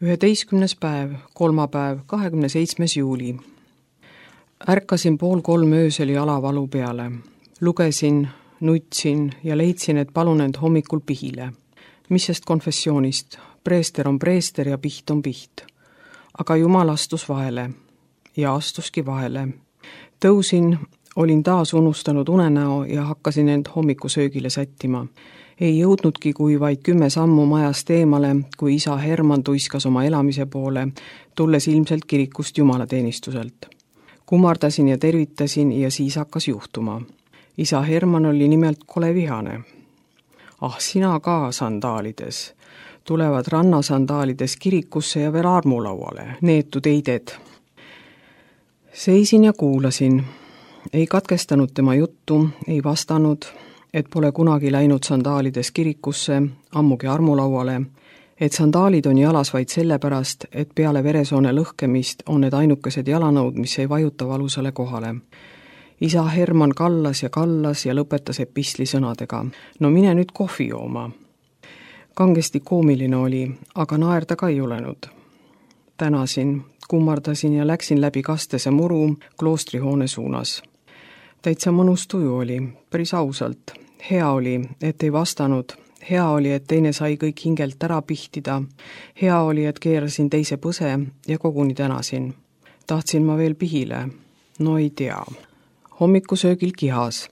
11. päev, kolmapäev, 27. juuli. Ärkasin 2:30 öösel jalavalu peale. Lugesin, nutsin ja leidsin, et palun end hommikul pihile. Mis sest konfessioonist? Preester on preester ja piht on piht. Aga Jumal astus vahele. Ja astuski vahele. Tõusin, olin taas unustanud unenäo ja hakkasin end hommikusöögile sättima. Ei jõudnudki kui vaid 10 sammu majast eemale, kui isa Herman tuiskas oma elamise poole, tulles ilmselt kirikust jumalateenistuselt. Kummardasin ja tervitasin ja siis hakkas juhtuma. Isa Herman oli nimelt kole vihane. Ah, sina ka sandaalides. Tulevad rannasandaalides kirikusse ja veel armulauale, neetud eided. Seisin ja kuulasin. Ei katkestanud tema juttu, ei vastanud, et pole kunagi läinud sandaalides kirikusse, ammugi armulauale, et sandaalid on jalas vaid sellepärast, et peale veresoone lõhkemist on need ainukesed jalanõud, mis ei vajuta valusale kohale. Isa Herman kallas ja lõpetas epistli sõnadega. No mine nüüd kohvi jooma. Kangesti koomiline oli, aga naerda ka ei julenud. Tänasin, kummardasin ja läksin läbi kastese muru kloostrihoone suunas. Täitsa mõnus tuju oli, päris ausalt. Hea oli, et ei vastanud. Hea oli, et teine sai kõik hingelt ära pihtida. Hea oli, et keerasin teise põse ja koguni tänasin. Tahtsin ma veel pihile? No ei tea. Hommikusöögil kihas.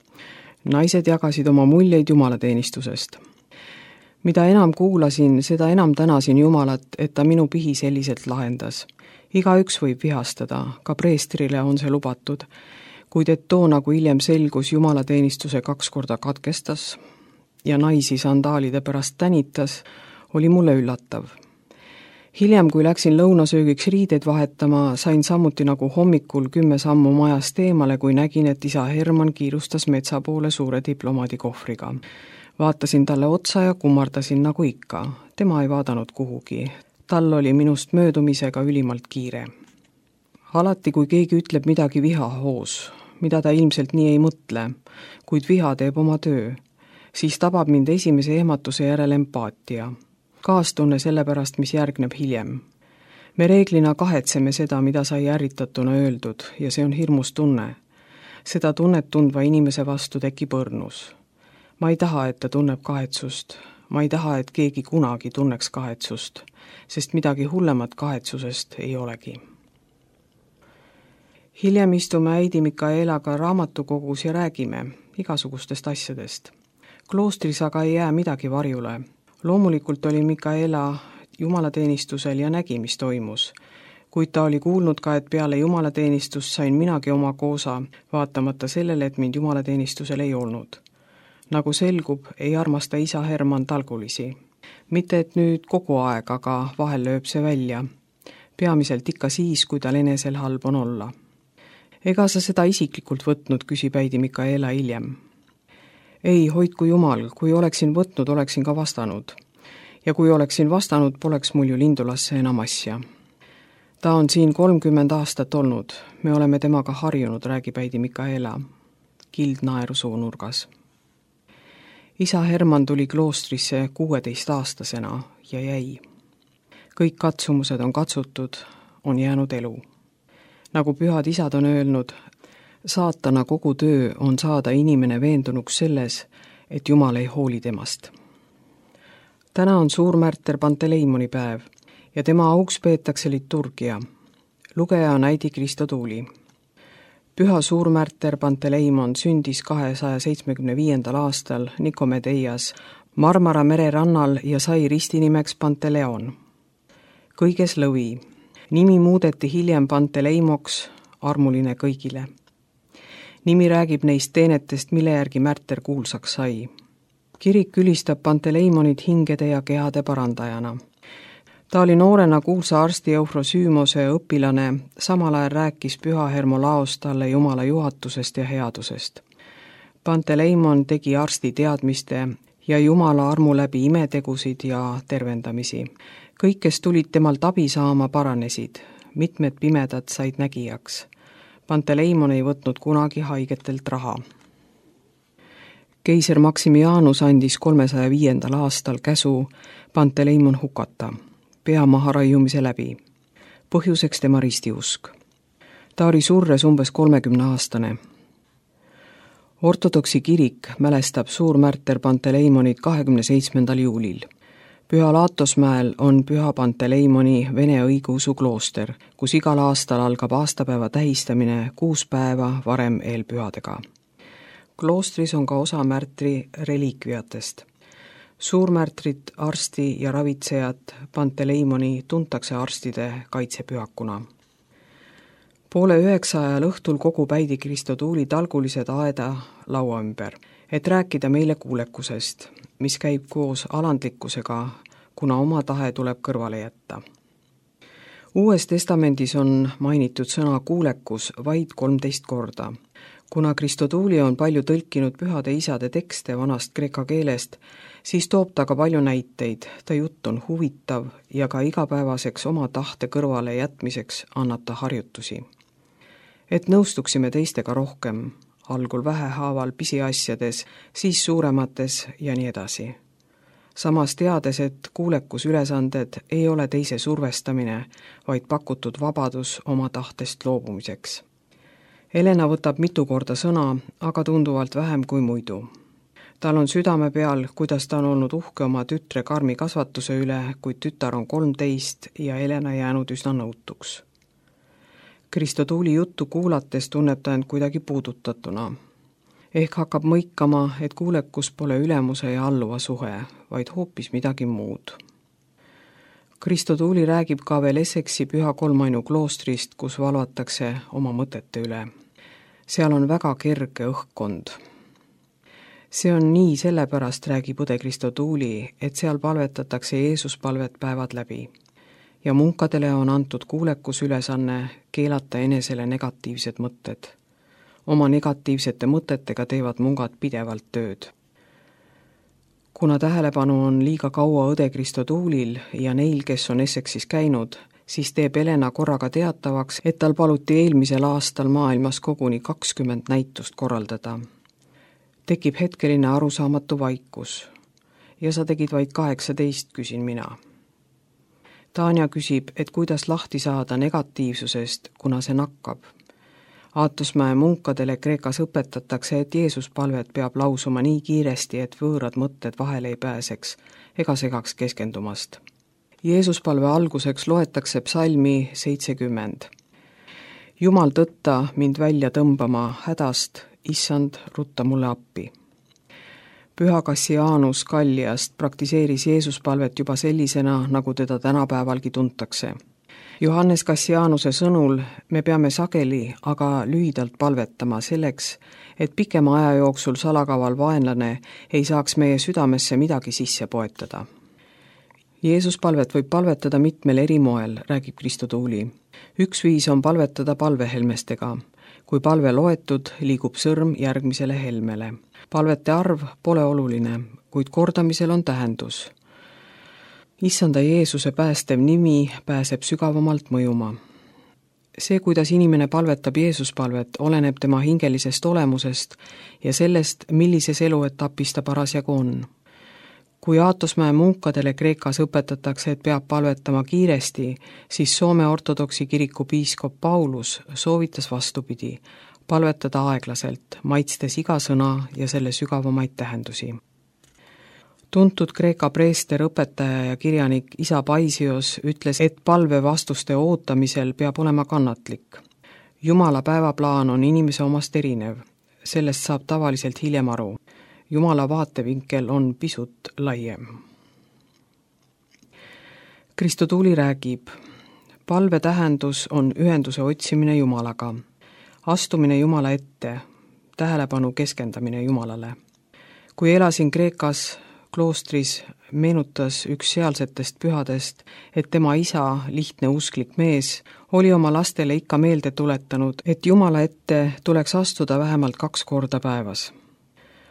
Naised jagasid oma muljeid jumalateenistusest. Mida enam kuulasin, seda enam tänasin Jumalat, et ta minu pihi selliselt lahendas. Igaüks võib vihastada, ka preestrile on see lubatud, kuid et too, nagu hiljem selgus, jumalateenistuse 2 korda katkestas ja naisi sandaalide pärast tänitas, oli mulle üllatav. Hiljem, kui läksin lõunasöögiks riideid vahetama, sain samuti nagu hommikul 10 sammu majast eemale, kui nägin, et isa Herman kiirustas metsa poole suure diplomaadikohvriga. Vaatasin talle otsa ja kummardasin nagu ikka. Tema ei vaadanud kuhugi. Tal oli minust möödumisega ülimalt kiire. Alati, kui keegi ütleb midagi vihahoos, mida ta ilmselt nii ei mõtle, kuid viha teeb oma töö, siis tabab mind esimese ehmatuse järel empaatia. Kaastunne selle pärast, mis järgneb hiljem. Me reeglina kahetseme seda, mida sai ärritatuna öeldud, ja see on hirmus tunne. Seda tunnet tundva inimese vastu tekib õrnus. Ma ei taha, et ta tunneb kahetsust. Ma ei taha, et keegi kunagi tunneks kahetsust, sest midagi hullemat kahetsusest ei olegi. Hiljem istume äidi Mikaelaga raamatukogus ja räägime igasugustest asjadest. Kloostris aga ei jää midagi varjule. Loomulikult oli Mikaela jumalateenistusel ja nägi, mis toimus, kuid ta oli kuulnud ka, et peale jumalateenistust sain minagi oma koosa, vaatamata sellele, et mind jumalateenistusel ei olnud. Nagu selgub, ei armasta isa Herman talgulisi. Mitte et nüüd kogu aeg, aga vahel lööb see välja. Peamiselt ikka siis, kui tal enesel halb on olla. Ega sa seda isiklikult võtnud, küsib äidi Mikaela hiljem. Ei, hoidku Jumal, kui oleksin võtnud, oleksin ka vastanud. Ja kui oleksin vastanud, poleks mul ju Lindulasse enam asja. Ta on siin 30 aastat olnud. Me oleme temaga harjunud, räägib äidi Mikaela. Kild naeru suunurgas. Isa Herman tuli kloostrisse 16-aastasena ja jäi. Kõik katsumused on katsutud, on jäänud elu. Nagu pühad isad on öelnud, saatana kogu töö on saada inimene veendunuks selles, et Jumal ei hooli temast. Täna on suurmärter Panteleimoni päev ja tema auks peetakse liturgia. Lugeja on äidi Kristo Tuuli. Püha suurmärter Panteleimon sündis 275. aastal Nikomedeias Marmara mere rannal ja sai ristinimeks Panteleon. Kõiges lõvi. Nimi muudeti hiljem Panteleimoks, armuline kõigile. Nimi räägib neist teenetest, mille järgi märter kuulsaks sai. Kirik ülistab Panteleimonit hingede ja kehade parandajana. Ta oli noorena kuulsa arsti Eufrosüümose õpilane, samal ajal rääkis püha Hermolaos talle Jumala juhatusest ja headusest. Panteleimon tegi arsti teadmiste ja Jumala armu läbi imetegusid ja tervendamisi. Kõik, kes tulid temalt abi saama, paranesid. Mitmed pimedad said nägijaks. Panteleimon ei võtnud kunagi haigetelt raha. Keiser Maximianus andis 305. aastal käsu Panteleimon hukata. pea maharaiumise läbi. Põhjuseks tema ristiusk. Ta oli surres umbes 30-aastane. Ortodoksi kirik mälestab suurmärter Panteleimonit 27. juulil. Püha Laatosmäel on Püha Panteleimoni vene õigeusu klooster, kus igal aastal algab aastapäeva tähistamine 6 päeva varem eelpühadega. Kloostris on ka osa märtri reliikviatest. Suurmärtrit, arsti ja ravitsejat Panteleimoni tuntakse arstide kaitsepühakuna. 8:30 ajal õhtul kogub äidi Kristotuuli talgulised aeda laua ümber, et rääkida meile kuulekusest, mis käib koos alandlikkusega, kuna oma tahe tuleb kõrvale jätta. Uues testamendis on mainitud sõna kuulekus vaid 13 korda. Kuna Kristotuuli on palju tõlkinud pühade isade tekste vanast kreeka keelest, siis toob ta ka palju näiteid, ta jutt on huvitav ja ka igapäevaseks oma tahte kõrvale jätmiseks annab ta harjutusi. Et nõustuksime teistega rohkem, algul vähehaaval pisiasjades, siis suuremates ja nii edasi. Samas teades, et kuulekusülesanded ei ole teise survestamine, vaid pakutud vabadus oma tahtest loobumiseks. Helena võtab mitu korda sõna, aga tunduvalt vähem kui muidu. Tal on südame peal, kuidas ta on olnud uhke oma tütre karmi kasvatuse üle, kuid tütar on 13 ja Helena jäänud üsna nõutuks. Kristotuuli juttu kuulates tunneb ta end kuidagi puudutatuna. Ehk hakkab mõikama, et kuulekus pole ülemuse ja alluva suhe, vaid hoopis midagi muud. Kristotuuli räägib ka veel Essexi Püha Kolmainu kloostrist, kus valvatakse oma mõtete üle. Seal on väga kerge õhkkond. See on nii sellepärast, räägib õde Kristotuuli, et seal palvetatakse Jeesuspalvet päevad läbi. Ja munkadele on antud kuulekusülesanne keelata enesele negatiivsed mõtted. Oma negatiivsete mõtetega teevad mungad pidevalt tööd. Kuna tähelepanu on liiga kaua õde Kristotuulil ja neil, kes on Essexis käinud, siis teeb Helena korraga teatavaks, et tal paluti eelmisel aastal maailmas koguni 20 näitust korraldada. Tekib hetkeline arusaamatu vaikus. Ja sa tegid vaid 18, küsin mina. Tanja küsib, et kuidas lahti saada negatiivsusest, kuna see nakkab. Aatosmäe munkadele Kreekas õpetatakse, et Jeesuspalvet peab lausuma nii kiiresti, et võõrad mõtted vahele ei pääseks ega segaks keskendumast. Jeesuspalve alguseks loetakse psalmi 70. Jumal tõtta mind välja tõmbama hädast, issand, rutta mulle appi. Püha Kassianus Kalliast praktiseeris Jeesuspalvet juba sellisena, nagu teda tänapäevalgi tuntakse. Johannes Kassianuse sõnul me peame sageli, aga lühidalt palvetama selleks, et pikema aja jooksul salakaval vaenlane ei saaks meie südamesse midagi sisse poetada. Jeesuspalvet võib palvetada mitmel eri moel, räägib Kristotuuli. Üks viis on palvetada palvehelmestega. Kui palve loetud, liigub sõrm järgmisele helmele. Palvete arv pole oluline, kuid kordamisel on tähendus. Issanda Jeesuse päästev nimi pääseb sügavamalt mõjuma. See, kuidas inimene palvetab Jeesuspalvet, oleneb tema hingelisest olemusest ja sellest, millises eluetapis ta parasjagu on. Kui Aatosmäe munkadele Kreekas õpetatakse, et peab palvetama kiiresti, siis Soome ortodoksi kiriku piiskop Paulus soovitas vastupidi, palvetada aeglaselt, maitstes iga sõna ja selle sügavamaid tähendusi. Tuntud Kreeka preester, õpetaja ja kirjanik isa Paisios ütles, et palve vastuste ootamisel peab olema kannatlik. Jumala päevaplaan on inimese omast erinev, sellest saab tavaliselt hiljem aru. Jumala vaatevinkel on pisut laiem. Kristotuuli räägib, palve tähendus on ühenduse otsimine Jumalaga, astumine Jumala ette, tähelepanu keskendamine Jumalale. Kui elasin Kreekas kloostris, meenutas üks sealsetest pühadest, et tema isa, lihtne usklik mees, oli oma lastele ikka meelde tuletanud, et Jumala ette tuleks astuda vähemalt 2 korda päevas.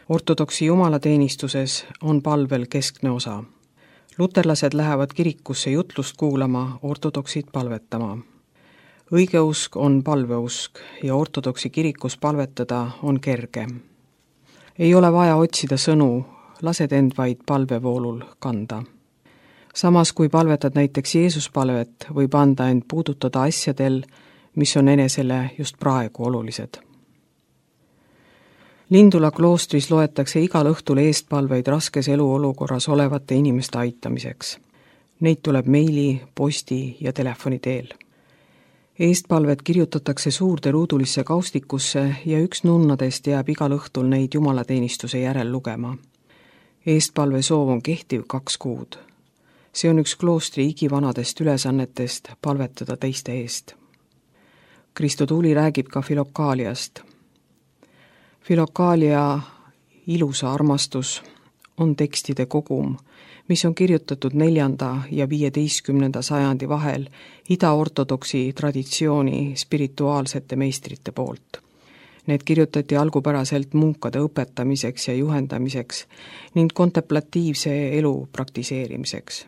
Ortodoksi jumalateenistuses on palvel keskne osa. Luterlased lähevad kirikusse jutlust kuulama, ortodoksid palvetama. Õigeusk on palveusk ja ortodoksi kirikus palvetada on kerge. Ei ole vaja otsida sõnu, lased end vaid palvevoolul kanda. Samas, kui palvetad näiteks Jeesuspalvet, võib anda end puudutada asjadel, mis on enesele just praegu olulised. Lindula kloostris loetakse igal õhtul eestpalveid raskes eluolukorras olevate inimeste aitamiseks. Neid tuleb meili, posti ja telefoni teel. Eestpalvet kirjutatakse suurde ruudulisse kaustikusse ja üks nunnadest jääb igal õhtul neid jumalateenistuse järel lugema. Eestpalve soov on kehtiv 2 kuud. See on üks kloostri igivanadest ülesannetest palvetada teiste eest. Kristo Tuuli räägib ka Filokaaliast. Filokaalia ilusa armastus on tekstide kogum, mis on kirjutatud 4. ja 15. sajandi vahel ida-ortodoksi traditsiooni spirituaalsete meistrite poolt. Need kirjutati algupäraselt munkade õpetamiseks ja juhendamiseks ning kontemplatiivse elu praktiseerimiseks.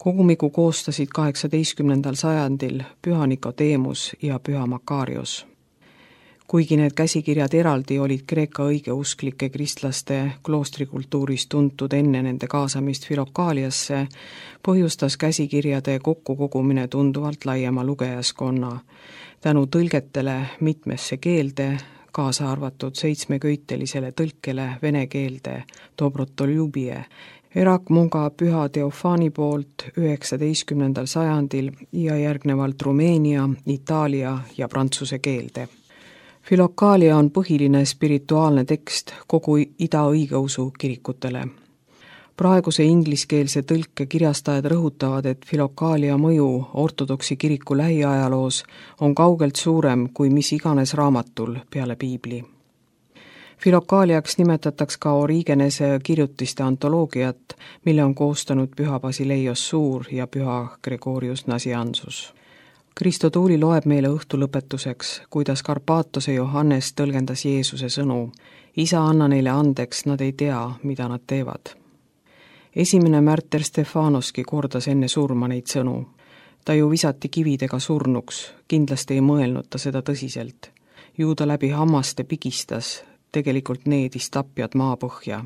Kogumiku koostasid 18. sajandil püha Nikodeemus ja püha Makarios. Kuigi need käsikirjad eraldi olid Kreeka õigeusklike kristlaste kloostrikultuuris tuntud enne nende kaasamist Filokaaliasse, põhjustas käsikirjade kokkukogumine tunduvalt laiema lugejaskonna, tänu tõlgetele mitmesse keelde, kaasa arvatud 7-köitelisele tõlkele vene keelde Dobrotolubije, Erakmunga püha Teofani poolt 19. sajandil ja järgnevalt Rumeenia, Itaalia ja prantsuse keelde. Filokaalia on põhiline spirituaalne tekst kogu ida-õigeusu kirikutele. Praeguse ingliskeelse tõlke kirjastajad rõhutavad, et Filokaalia mõju ortodoksi kiriku lähiajaloos on kaugelt suurem kui mis iganes raamatul peale piibli. Filokaaliaks nimetatakse ka Origenese kirjutiste antoloogiat, mille on koostanud püha Basileios Suur ja püha Gregorius Nazianzus. Kristo Tuuli loeb meile õhtu lõpetuseks, kuidas Karpaatose Johannes tõlgendas Jeesuse sõnu. Isa, anna neile andeks, nad ei tea, mida nad teevad. Esimene märter Stefanoski kordas enne surma neid sõnu. Ta ju visati kividega surnuks, kindlasti ei mõelnud ta seda tõsiselt. Ju ta läbi hammaste pigistas, tegelikult needis tapjad maapõhja.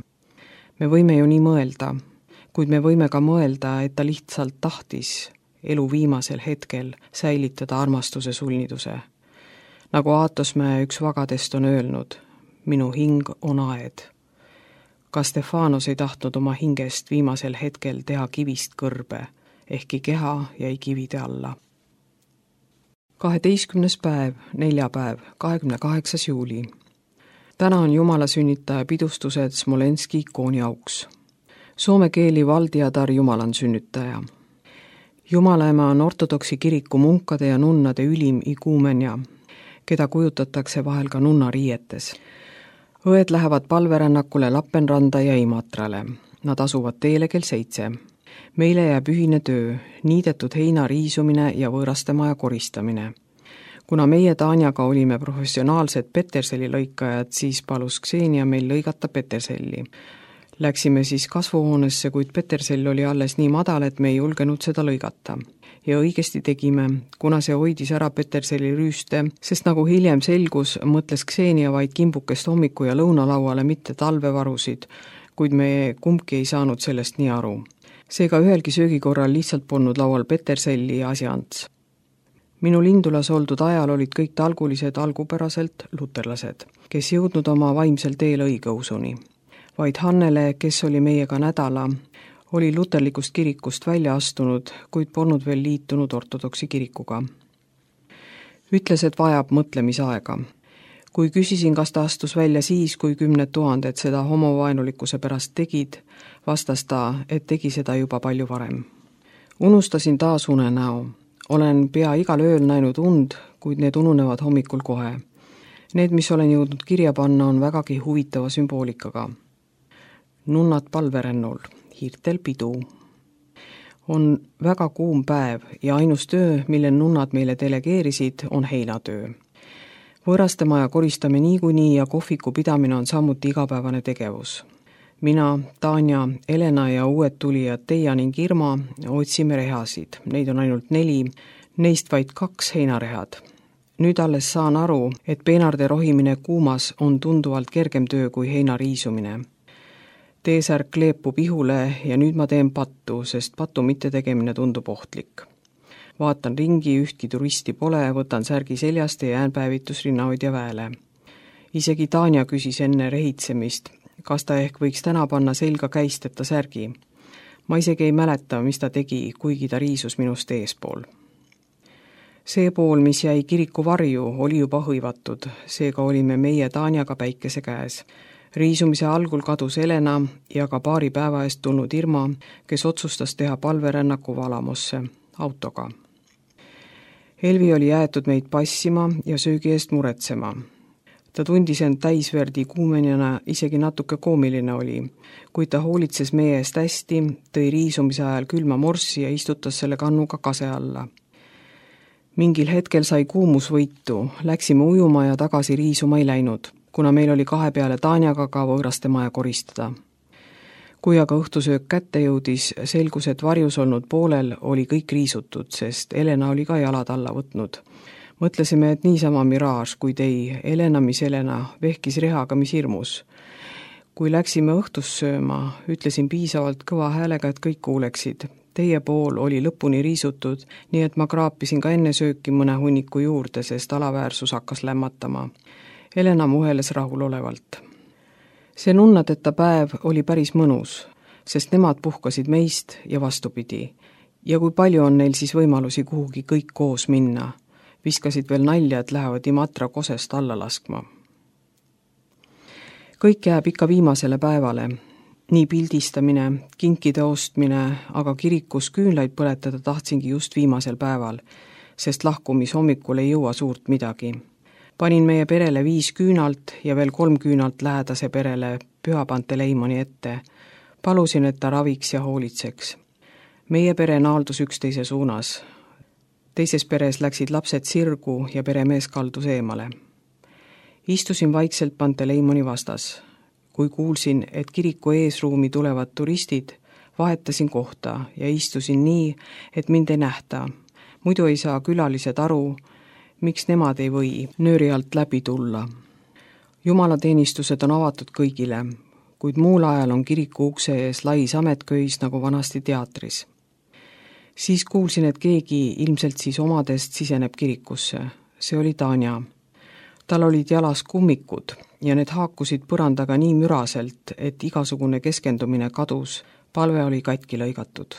Me võime ju nii mõelda, kuid me võime ka mõelda, et ta lihtsalt tahtis elu viimasel hetkel säilitada armastuse sulniduse. Nagu Aatosmäe üks vagadest on öelnud, minu hing on aed. Ka Stefanos ei tahtnud oma hingest viimasel hetkel teha kivist kõrbe, ehkki keha jäi kivide alla. 12. päev, neljapäev, 28. juuli. Täna on Jumala sünnitaja pidustused Smolenski ikooni auks. Soome keeli valdiatar Jumalan sünnitaja. Jumalaema on ortodoksi kiriku munkade ja nunnade ülim iguumenja, keda kujutatakse vahel ka nunnariietes. Õed lähevad palverännakule Lappenranda ja Imatrale. Nad asuvad teele kell 7. Meile jääb ühine töö, niidetud heina riisumine ja võõrastemaja koristamine. Kuna meie Tanjaga olime professionaalsed peterselli lõikajad, siis palus Ksenia meil lõigata peterselli. Läksime siis kasvuhoonesse, kuid petersell oli alles nii madal, et me ei julgenud seda lõigata. Ja õigesti tegime, kuna see hoidis ära peterselli rüüste, sest nagu hiljem selgus, mõtles Ksenia vaid kimbukest hommiku ja lõunalauale, mitte talvevarusid, kuid me kumbki ei saanud sellest nii aru. Seega ühelgi söögikorral lihtsalt polnud laual peterselli ja asjants. Minu Lindulas oldud ajal olid kõik talgulised algupäraselt luterlased, kes jõudnud oma vaimsel teel õigeusuni. Vaid Hannele, kes oli meiega nädala, oli luterlikust kirikust välja astunud, kuid polnud veel liitunud ortodoksi kirikuga. Ütles, et vajab mõtlemisaega. Kui küsisin, kas ta astus välja siis, kui 10 000 seda homovaenulikkuse pärast tegid, vastas ta, et tegi seda juba palju varem. Unustasin taas unenäo. Olen pea igal ööl näinud und, kuid need ununevad hommikul kohe. Need, mis olen jõudnud kirja panna, on vägagi huvitava sümboolikaga. Nunnad palverennul, hiirtel pidu. On väga kuum päev ja ainus töö, mille nunnad meile delegeerisid, on heinatöö. Võõrastemaja koristame niikuinii ja kohviku pidamine on samuti igapäevane tegevus. Mina, Tanja, Elena ja uued tulijad Teia ning Irma otsime rehasid. Neid on ainult 4, neist vaid 2 heinarehad. Nüüd alles saan aru, et peenarde rohimine kuumas on tunduvalt kergem töö kui heina riisumine. T-särk kleepub ihule ja nüüd ma teen pattu, sest patu mittetegemine tundub ohtlik. Vaatan ringi, ühtki turisti pole, võtan särgi seljast ja jään päevitusrinnahoidja väele. Isegi Tanja küsis enne rehitsemist, kas ta ehk võiks täna panna selga käisteta särgi. Ma isegi ei mäleta, mis ta tegi, kuigi ta riisus minust eespool. See pool, mis jäi kiriku varju, oli juba hõivatud, seega olime meie Tanjaga päikese käes. Riisumise algul kadus Helena ja ka paari päeva eest tulnud Irma, kes otsustas teha palverännaku Valamosse autoga. Helvi oli jäetud meid passima ja söögi eest muretsema. Ta tundis end täisverdi kuumenjana, isegi natuke koomiline oli, kuid ta hoolitses meie eest hästi, tõi riisumise ajal külma morssi ja istutas selle kannuga kase alla. Mingil hetkel sai kuumus võitu, läksime ujuma ja tagasi riisuma ei läinud, kuna meil oli 2 peale Tanjaga ka võõraste maja koristada. Kui aga õhtusöök kätte jõudis, selgus, et varjus olnud poolel oli kõik riisutud, sest Helena oli ka jalad alla võtnud. Mõtlesime, et niisama miraaž, kuid ei, Helena, mis Helena, vehkis rehaga, mis hirmus. Kui läksime õhtust sööma, ütlesin piisavalt kõva häälega, et kõik kuuleksid. Teie pool oli lõpuni riisutud, nii et ma kraapisin ka enne sööki mõne hunniku juurde, sest alaväärsus hakkas lämmatama. Helena muheles rahulolevalt. See nunnadeta päev oli päris mõnus, sest nemad puhkasid meist ja vastupidi. Ja kui palju on neil siis võimalusi kuhugi kõik koos minna? Viskasid veel nalja, et lähevad Imatra kosest alla laskma. Kõik jääb ikka viimasele päevale. Nii pildistamine, kinkide ostmine, aga kirikus küünlaid põletada tahtsingi just viimasel päeval, sest lahkumis hommikul ei jõua suurt midagi. Panin meie perele 5 küünalt ja veel 3 küünalt lähedase perele Püha Panteleimoni ette. Palusin, et ta raviks ja hoolitseks. Meie pere naaldus üksteise suunas. Teises peres läksid lapsed sirgu ja peremees kaldus eemale. Istusin vaikselt Panteleimoni vastas. Kui kuulsin, et kiriku eesruumi tulevad turistid, vahetasin kohta ja istusin nii, et mind ei nähta. Muidu ei saa külalised aru, miks nemad ei või nööri alt läbi tulla. Jumalateenistused on avatud kõigile, kuid muul ajal on kiriku ukse ees lais ametköis nagu vanasti teatris. Siis kuulsin, et keegi ilmselt siis omadest siseneb kirikusse. See oli Tanja. Tal olid jalas kummikud ja need haakusid põrandaga nii müraselt, et igasugune keskendumine kadus, palve oli katki lõigatud.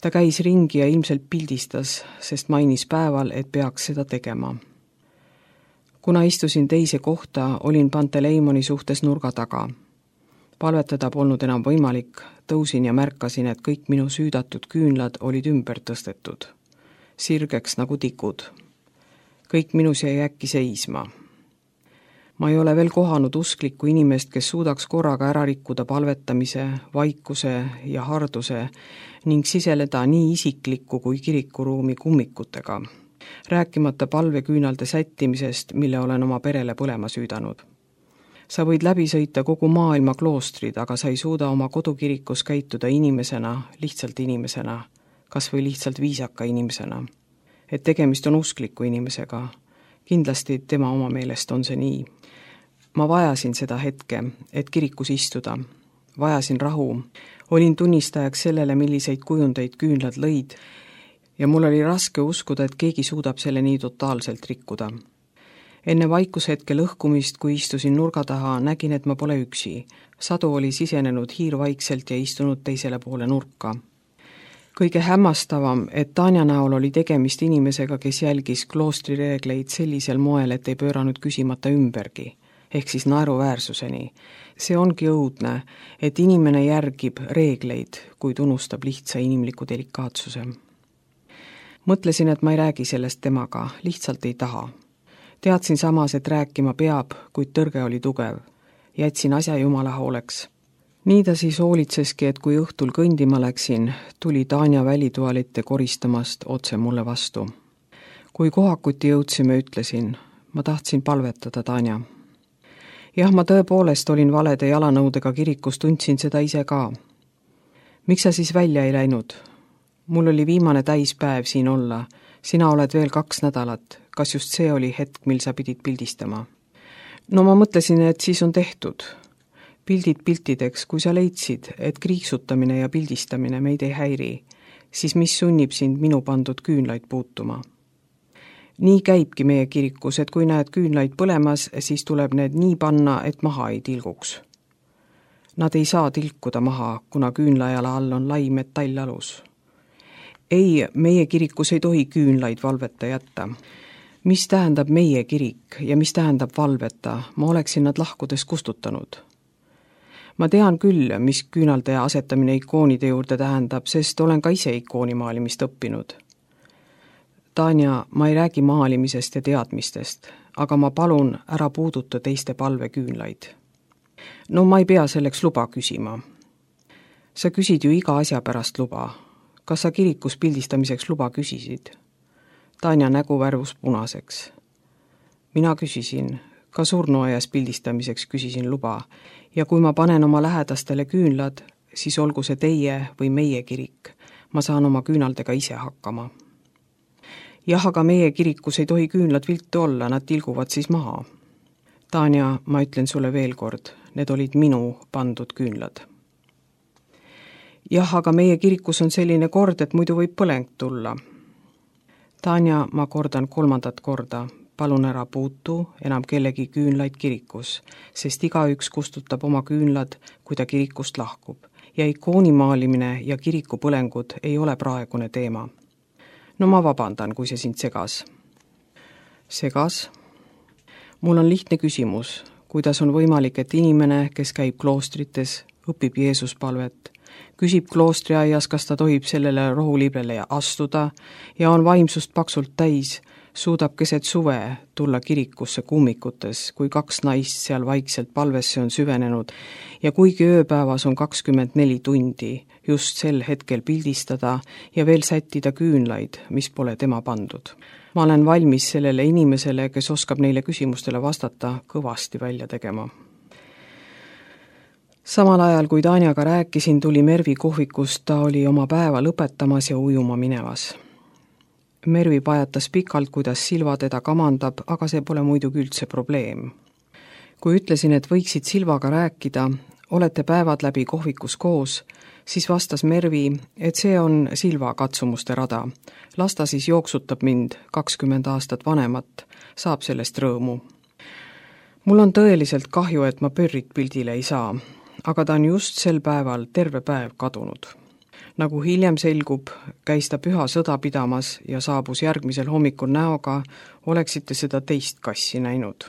Ta käis ringi ja ilmselt pildistas, sest mainis päeval, et peaks seda tegema. Kuna istusin teise kohta, olin Panteleimoni suhtes nurga taga. Palvetada polnud enam võimalik, tõusin ja märkasin, et kõik minu süüdatud küünlad olid ümber tõstetud. Sirgeks nagu tikud. Kõik minus jäi äkki seisma. Ma ei ole veel kohanud usklikku inimest, kes suudaks korraga ära rikkuda palvetamise, vaikuse ja harduse ning siseleda nii isiklikku kui kirikuruumi kummikutega, rääkimata palveküünalde sättimisest, mille olen oma perele põlema süüdanud. Sa võid läbi sõita kogu maailma kloostrid, aga sa ei suuda oma kodukirikus käituda inimesena, lihtsalt inimesena, kas või lihtsalt viisaka inimesena. Et tegemist on uskliku inimesega. Kindlasti tema oma meelest on see nii. Ma vajasin seda hetke, et kirikus istuda. Vajasin rahu. Olin tunnistajaks sellele, milliseid kujundeid küünlad lõid ja mul oli raske uskuda, et keegi suudab selle nii totaalselt rikkuda. Enne vaikushetke lõhkumist, kui istusin nurga taha, nägin, et ma pole üksi. Sadu oli sisenenud hiirvaikselt ja istunud teisele poole nurka. Kõige hämmastavam, et Tanja näol oli tegemist inimesega, kes jälgis kloostri reegleid sellisel moel, et ei pööranud küsimata ümbergi, ehk siis naeruväärsuseni. See ongi õudne, et inimene järgib reegleid, kuid unustab lihtsa inimliku delikaatsuse. Mõtlesin, et ma ei räägi sellest temaga, lihtsalt ei taha. Teadsin samas, et rääkima peab, kuid tõrge oli tugev. Jätsin asja Jumala hooleks. Nii ta siis hoolitseski, et kui õhtul kõndima läksin, tuli Tanja välitualite koristamast otse mulle vastu. Kui kohakuti jõudsime, ütlesin, ma tahtsin palvetada Tanja. Jah, ma tõepoolest olin valede jalanõudega kirikus, tundsin seda ise ka. Miks sa siis välja ei läinud? Mul oli viimane täispäev siin olla. Sina oled veel 2 nädalat. Kas just see oli hetk, mil sa pidid pildistama? No ma mõtlesin, et siis on tehtud. Pildid piltideks, kui sa leidsid, et kriiksutamine ja pildistamine meid ei häiri, siis mis sunnib sind minu pandud küünlaid puutuma? Nii käibki meie kirikus, et kui näed küünlaid põlemas, siis tuleb need nii panna, et maha ei tilguks. Nad ei saa tilkuda maha, kuna küünlajala all on lai metallalus. Ei, meie kirikus ei tohi küünlaid valveta jätta. Mis tähendab meie kirik ja mis tähendab valveta, ma oleksin nad lahkudes kustutanud. Ma tean küll, mis küünalde asetamine ikoonide juurde tähendab, sest olen ka ise ikoonimaalimist õppinud. Tanja, ma ei räägi maalimisest ja teadmistest, aga ma palun ära puuduta teiste palveküünlaid. No ma ei pea selleks luba küsima. Sa küsid ju iga asja pärast luba. Kas sa kirikus pildistamiseks luba küsisid? Tanja nägu värvus punaseks. Mina küsisin, ka surnuaias pildistamiseks küsisin luba ja kui ma panen oma lähedastele küünlad, siis olgu see teie või meie kirik. Ma saan oma küünaldega ise hakkama. Jah, aga meie kirikus ei tohi küünlad viltu olla, nad tilguvad siis maha. Tanja, ma ütlen sulle veel kord, need olid minu pandud küünlad. Jah, aga meie kirikus on selline kord, et muidu võib põleng tulla. Tanja, ma kordan 3. korda, palun ära puutu enam kellegi küünlaid kirikus, sest igaüks kustutab oma küünlad, kui ta kirikust lahkub. Ja ikoonimaalimine ja kirikupõlengud ei ole praegune teema. No ma vabandan, kui see sind segas. Segas? Mul on lihtne küsimus, kuidas on võimalik, et inimene, kes käib kloostrites, õpib Jeesuspalvet, küsib kloostriaias, kas ta tohib sellele rohuliblele astuda ja on vaimsust paksult täis, suudab keset suve tulla kirikusse kummikutes, kui 2 naist seal vaikselt palvesse on süvenenud ja kuigi ööpäevas on 24 tundi, just sel hetkel pildistada ja veel sättida küünlaid, mis pole tema pandud. Ma olen valmis sellele inimesele, kes oskab neile küsimustele vastata, kõvasti välja tegema. Samal ajal, kui Tanjaga rääkisin, tuli Mervi kohvikust, ta oli oma päeva lõpetamas ja ujuma minevas. Mervi pajatas pikalt, kuidas Silva teda kamandab, aga see pole muidugi üldse probleem. Kui ütlesin, et võiksid Silvaga rääkida, olete päevad läbi kohvikus koos, siis vastas Mervi, et see on Silva katsumuste rada. Las ta siis jooksutab mind 20 aastat vanemat, saab sellest rõõmu. Mul on tõeliselt kahju, et ma Pörrit pildile ei saa, aga ta on just sel päeval terve päev kadunud. Nagu hiljem selgub, käis ta püha sõda pidamas ja saabus järgmisel hommikul näoga, oleksite seda teist kassi näinud.